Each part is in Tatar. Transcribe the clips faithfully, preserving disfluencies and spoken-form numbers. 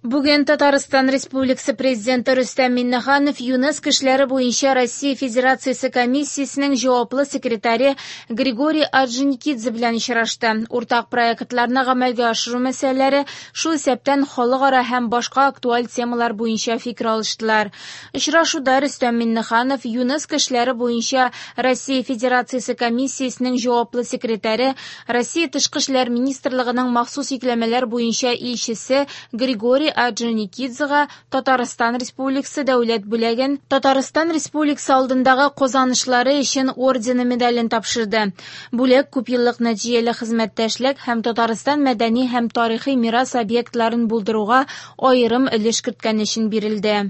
Бүген Татарстан Республикасы Президенты Рөстәм Миңнеханов ЮНЕСКО эшләре буенча Россия Федерациясе комиссиясенең җаваплы секретаре Григорий Орджоникидзе белән очрашты. Уртак проектларны гамәлгә ашыру мәсьәләләре, шул исәптән халыкара һәм башка актуаль темалар буенча фикер алыштылар. Очрашуда Рөстәм Миңнеханов ЮНЕСКО эшләре буенча Россия Федерациясе комиссиясенең җаваплы секретаре, Россия Тышкы эшләр министрлыгының махсус йөкләмәләр буенча илчесе Григорий Орджоникидзега Татарстан Республикасы дәүләт бүләген Татарстан Республикасы алдындагы казанышлары өчен ордены медален тапшырды. Бүләк күпьеллык нәтиҗәле хезмәттәшлек һәм Татарстан мәдәни һәм тарихи мирас объектларын булдыруга аерым өлеш керткән өчен бирелде.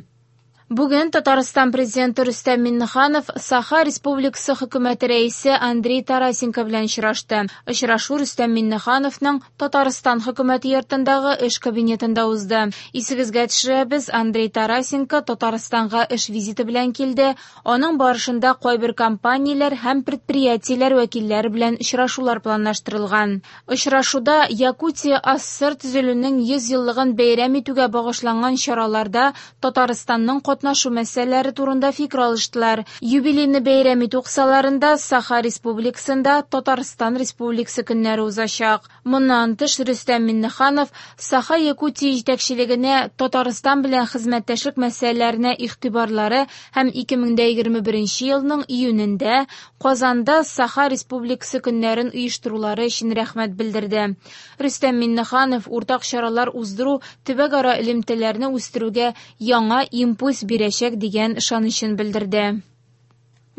Бүген Татарстан Президенты Рөстәм Миңнеханов Саха Республикасы хөкүмәте рәисе Андрей Тарасенко белән очрашты. Очрашу Рөстәм Миңнехановның Татарстан хөкүмәте йортындагы эш кабинетында узды. Исегезгә төшерәбез, Андрей Тарасенко Татарстанга эш визиты белән килде. Аның барышында кайбер компанияләр һәм предприятиеләр вәкилләре белән очрашулар планлаштырылган. Очрашуда Якутия АССР төзелүнең йөз еллыгын бәйрәм итүгә багышланган чараларда Татарстанның катнашу мәсьәләләре турында фикер алыштылар. Юбилейны бәйрәм итү кысаларында Саха Республикасында Татарстан Республикасы көннәре узачак. Моннан тыш Рөстәм Миңнеханов Саха Якутия җитәкчелегенә Татарстан белән хезмәттәшлек мәсьәләләренә игътибарлары һәм ике мең дә егерме беренче елның июнендә Казанда Саха Республикасы көннәрен оештырулары өчен рәхмәт белдерде. Рөстәм Миңнеханов уртак чаралар уздыру төбәкара элемтәләрне үстерүгә яңа импульс бирәчәк дигән ышанычын белдерде.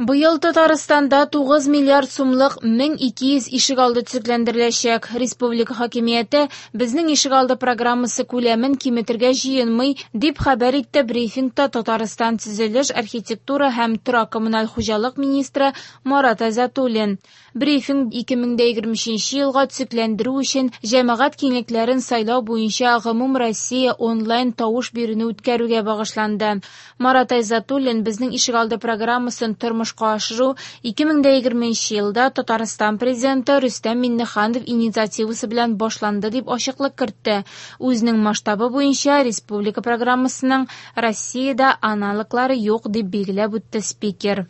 Быел Татарстанда тугыз миллиард сумлык мең ике йөз ишегалды төзекләндереләчәк. Республика хакимияте безнең ишегалды программасы күләмен киметергә җыенмый, дип хәбәр итте брифингта Татарстан төзелеш, архитектура һәм торак коммуналь хуҗалык министры Марат Айзатуллин. Брифинг ике мең дә егерме өченче елга төзекләндерү өчен җәмәгать киңлекләрен сайлау буенча гомум Россия онлайн тавыш бирүне үткәрүгә багышланды. Марат Айзатуллин безнең ишегалды программасын тормышка ашыру ике мең дә егерменче елда Татарстан президенты Рөстәм Миңнеханов инициативасы белән башланды дип ачыклык кертте. Үзенең масштабы буенча республика программасының Россиядә аналоглары юк дип билгеләп үтте спикер.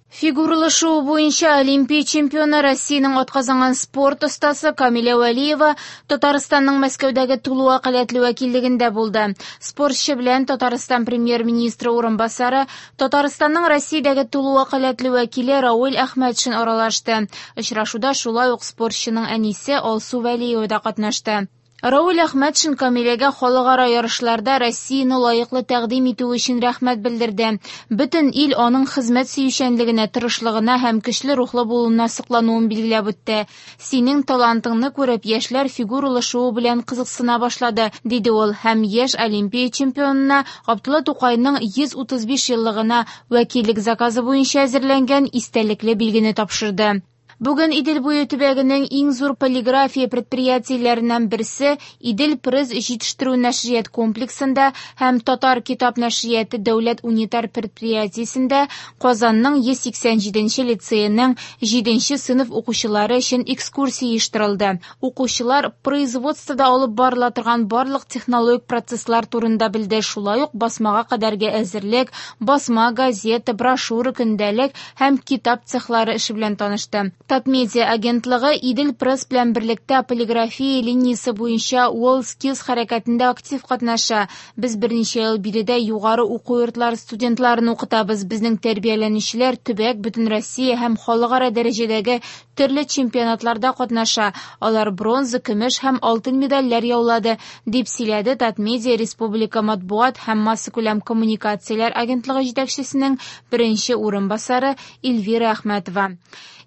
Фигуралы шуу буенча Олимпия чемпионы Россиянең атказанган спорт остасы Камилә Вәлиева Татарстанның Мәскәүдәге тулы вәкаләтле вәкиллегендә булды. Спортчы белән Татарстан премьер-министры урынбасары, Татарстанның Россиядәге тулы вәкаләтле вәкиле Равил Әхмәтшин аралашты. Очрашуда шулай ук спортчының әнисе Алсу Вәлиева да катнашты. Равил Әхмәтшин Камиләгә халыкара ярышларда Россияне лаеклы тәкъдим итү өчен рәхмәт белдерде. Бөтен ил аның хезмәт сөючәнлегенә, тырышлыгына һәм көчле рухлы булуына соклануын билгеләп үтте. Синең талантыңны күреп, яшьләр фигуралы шуу белән кызыксына башлады, диде ул һәм яшь Олимпия чемпионына Габдулла Тукайның йөз утыз биш еллыгына вәкиллек заказы буенча әзерләнгән истәлекле билгене тапшырды. Бүген Идел буе төбәгенең иң зур полиграфия предприятиеләреннән берсе Идел Пресс җитештерү нәшрият комплексында һәм Татар китап нәшрияты дәүләт унитар предприятиесендә Казанның йөз сиксән җиденче лицееның җиденче сыйныф укучылары өчен экскурсия оештырылды. Укучылар производствода алып барыла торган барлык технологик процесслар турында белде, шулай ук басмага кадәрге әзерлек, басма, газета, брошюра, көндәлек һәм китап цехлары эше белән танышты. Татмедиа агентлыгы Идел Пресс белән берлектә полиграфия линиясе буенча WorldSkills хәрәкәтендә актив катнаша. Без берничә ел биредә югары уку йортлары студентларын укытабыз. Безнең тәрбияләнүчеләр төбәк, бөтен Россия һәм халыкара дәрәҗәдәге төрле чемпионатларда катнаша. Алар бронза, көмеш һәм алтын медальләр яулады, дип сөйләде Татмедиа Республика матбугат һәм массакүләм коммуникацияләр агентлыгы җитәкчесенең беренче урынбасары Эльвира Әхмәтова.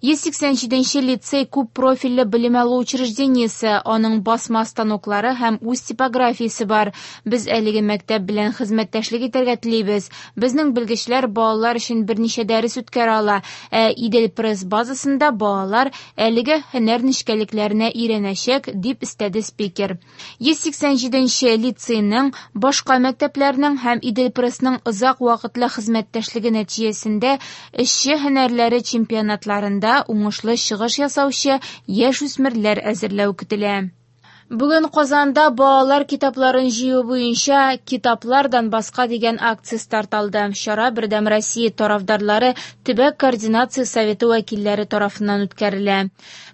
Йөз сиксән җиденче лицей күп профильле белем алу учреждениесе, аның басма станоклары һәм үз типографиясе бар. Без әлеге мәктәп белән хезмәттәшлек итәргә телибез. Безнең белгечләр балалар өчен берничә дәрес үткәрә ала. Ә Идел Пресс базасында балалар әлеге һөнәр нечкәлекләренә өйрәнәчәк, дип өстәде спикер. Йөз сиксән җиденче лицейның, башка мәктәпләрнең һәм Идел Прессның озак вакытлы хезмәттәшлеге нәтиҗәсендә эшче һөнәрләре чемпионатларында уңышлы чыгыш ясаучы яшь үсмерләр әзерләү көтелә. Бүген Казанда балалар китапларын җыю буенча «Китаплар Донбасска» дигән акция старт алды. Чара «Бердәм Россия» тарафдарлары төбәк координация советы вәкилләре тарафыннан үткәрелә.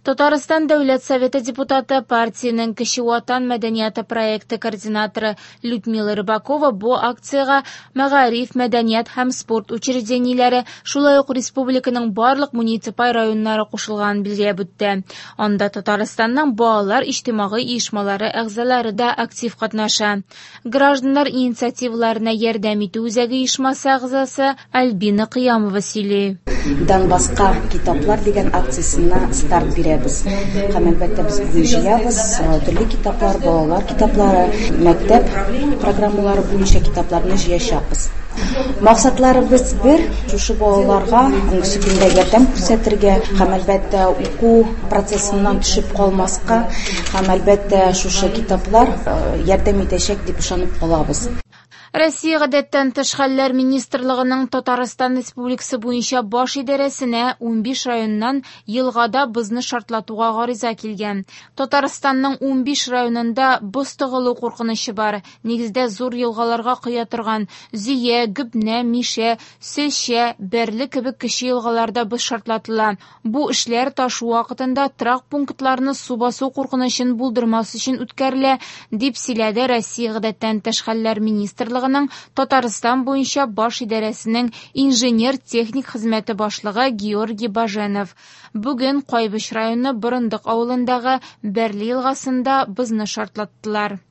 Татарстан Дәүләт Советы депутаты, партиянең Кече Ватан мәдәнияте проекты координаторы Людмила Рыбакова бу акциягә мәгариф, мәдәният һәм спорт учреждениеләре, шулай ук республиканың барлык муниципаль районнары кушылганын билгеләп үтте. Анда Татарстанның балалар иҗтимагый оешмалары әгъзалары да актив катнаша. Гражданнар инициативаларына ярдәм итү үзәге оешмасы әгъзасы Альбина Кыямова сөйли. Донбасска китаплар дигән акциясенә старт бирәбез. Һәм әлбәттә без бүген җыябыз төрле китаплар, балалар китаплары, мәктәп программалары буенча китапларны җыячакбыз. Максатларыбыз бер, шушы балаларга бүгенге көндә ярдәм күрсәтергә һәм әлбәттә уку процессыннан төшеп калмаска һәм әлбәттә шушы китаплар ярдәм итәчәк дип ышанып калабыз. Россия гадәттән тыш хәлләр министрлыгының Татарстан Республикасы буенча баш идарәсенә унбиш районнан елгада бозны шартлатуга гариза килгән. Татарстанның унбиш районында боз тыгылу куркынычы бар. Нигездә зур елгаларга коя торган Зөя, Гөбнә, Мишә, Сөлчә, Бәрле кебек кече елгаларда боз шартлатыла. Бу эшләр ташу вакытында торак пунктларны су басу куркынычын булдырмас өчен үткәрелә, дип сөйләде Россия гадәттән тыш хәлләр министрлыгы Татарстан буенча баш идарәсенең инженер-техник хезмәте башлыгы Георгий Баженов. Бүген Кайбыч районы Борындык авылындагы Бәрле елгасында бозны шартлаттылар.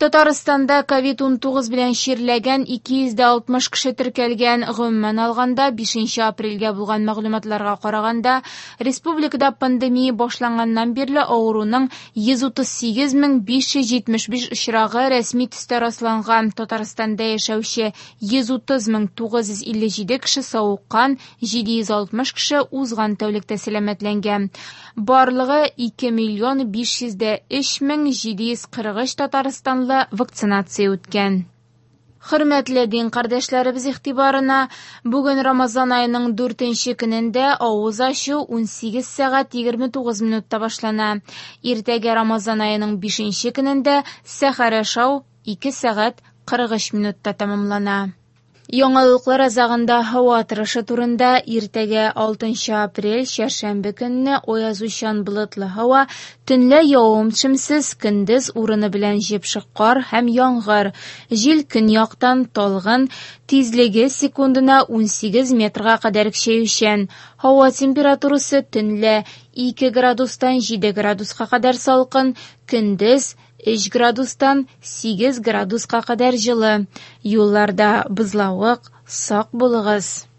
Татарстанда ковид унтугыз белән чирләгән ике йөз дә алтмыш кеше теркәлгән. Гомумән алганда, бишенче апрельгә булган мәгълүматларга караганда, республикада пандемия башланганнан бирле авыруның йөз утыз сигез мең биш йөз җитмеш биш очрагы рәсми төстә расланган. Татарстанда яшәүче йөз утыз мең тугыз йөз илле җиде кеше савыккан, җиде йөз алтмыш кеше узган тәүлектә сәламәтләнгән. Барлыгы ике миллион биш йөз дә өч мең җиде йөз кырык өч татарстанлы вакцинация үткән. Хөрмәтле дин кардәшләребез игътибарына, бүген Рамазан аеның дүртенче көнендә авыз ачу унсигез сәгать егерме тугыз минутта башлана. Иртәгә Рамазан аеның бишенче көнендә сәхәр ашау ике сәгать кырык өч минутта тәмамлана. Яңалыклар азагында һава торышы турында. Иртәгә алтынчы апрель чәршәмбе көнне аязучан болытлы һава, төнлә явым-төшемсез, көндез урыны белән җепшек кар һәм яңгыр. Җил көньяктан талгын, тизлеге секундына унсигез метрга кадәр көчәючән. Һава температурасы төнлә ике градустан җиде градуска кадәр салкын, көндез өч градустан сигез градуска кадәр җылы. Юлларда бозлавык, сак булыгыз.